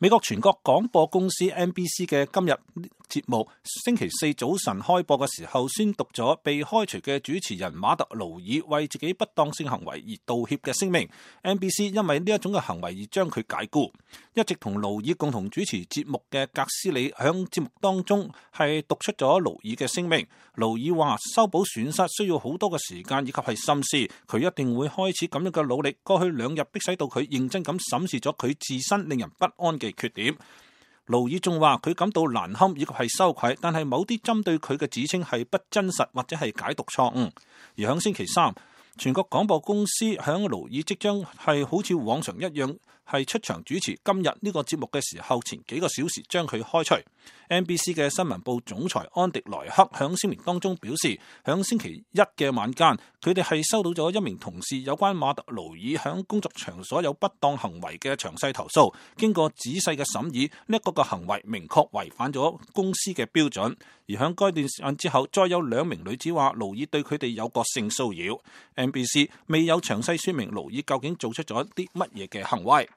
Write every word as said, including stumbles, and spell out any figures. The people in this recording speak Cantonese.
美國全國廣播公司 N B C 嘅今日節目星期四早晨開播嘅時候，宣讀咗被開除嘅主持人馬特勞爾為自己不當性行為而道歉嘅聲明。N B C 因為呢一種嘅行為而將佢解僱。一直同勞爾共同主持節目嘅格斯里響節目當中係讀出咗勞爾嘅聲明。勞爾話修補損失需要好多嘅時間以及係心思，佢一定會開始咁樣嘅努力。過去兩日迫使到佢認真咁審視咗佢自身令人不安嘅缺點。勞爾仲話佢感到難堪以及係羞愧，但係某啲針對佢嘅指稱係不真實或者係解讀錯誤。而響星期三，全國廣播公司響勞爾即將係好似往常一樣係出場主持今日呢個節目嘅時候，前幾個小時將佢開除。N B C 嘅新聞部總裁安迪萊克響聲明當中表示，響星期一嘅晚間，佢哋係收到咗一名同事有關馬特勞爾響工作場所有不當行為嘅詳細投訴。經過仔細嘅審議，呢、這、一個嘅行為明確違反咗公司嘅標準。而響該段時間之後，再有兩名女子話勞爾對佢哋有個性騷擾。N B C 未有詳細說明勞爾究竟做出咗啲乜嘢嘅行為。